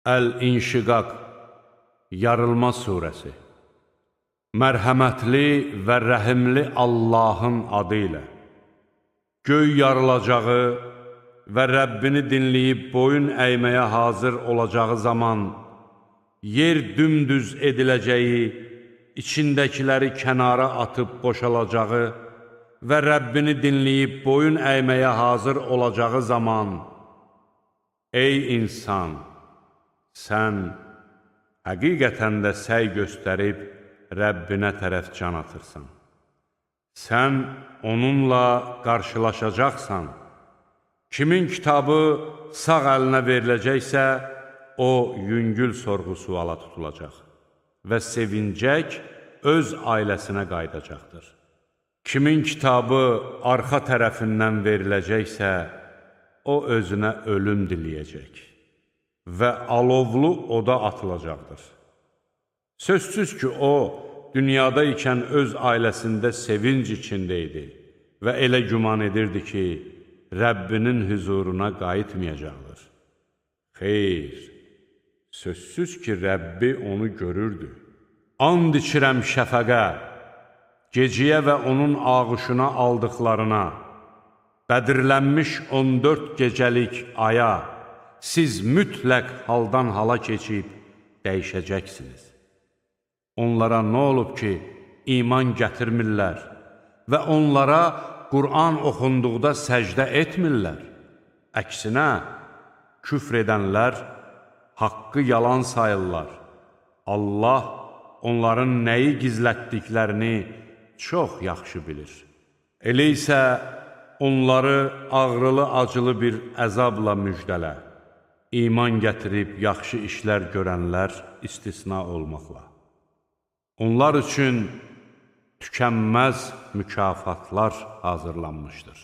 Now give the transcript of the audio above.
Əl-İnşiqaq, Yarılma surəsi. Mərhəmətli və rəhimli Allahın adı ilə. Göy yarılacağı və Rəbbini dinləyib boyun əyməyə hazır olacağı zaman, yer dümdüz ediləcəyi, içindəkiləri kənara atıb boşalacağı və Rəbbini dinləyib boyun əyməyə hazır olacağı zaman, ey insan, sən həqiqətən də səy göstərib Rəbbinə tərəf can atırsan. Sən onunla qarşılaşacaqsan. Kimin kitabı sağ əlinə veriləcəksə, o yüngül sorğu-suala tutulacaq və sevincək öz ailəsinə qayıdacaqdır. Kimin kitabı arxa tərəfindən veriləcəksə, o özünə ölüm diləyəcək və alovlu oda atılacaqdır. Sözsüz ki, o, dünyada ikən öz ailəsində sevinc içində idi və elə güman edirdi ki, Rəbbinin hüzuruna qayıtmayacaqdır. Xeyr, sözsüz ki, Rəbbi onu görürdü. And içirəm şəfəqə, geciyə və onun ağuşuna aldıqlarına, bədirlənmiş 14 gecəlik aya, siz mütləq haldan hala keçib dəyişəcəksiniz. Onlara nə olub ki, iman gətirmirlər və onlara Qur'an oxunduqda səcdə etmirlər. Əksinə, küfr edənlər haqqı yalan sayırlar. Allah onların nəyi gizlətdiklərini çox yaxşı bilir. Elə isə onları ağrılı-acılı bir əzabla müjdələ. İman gətirib yaxşı işlər görənlər istisna olmaqla. Onlar üçün tükənməz mükafatlar hazırlanmışdır.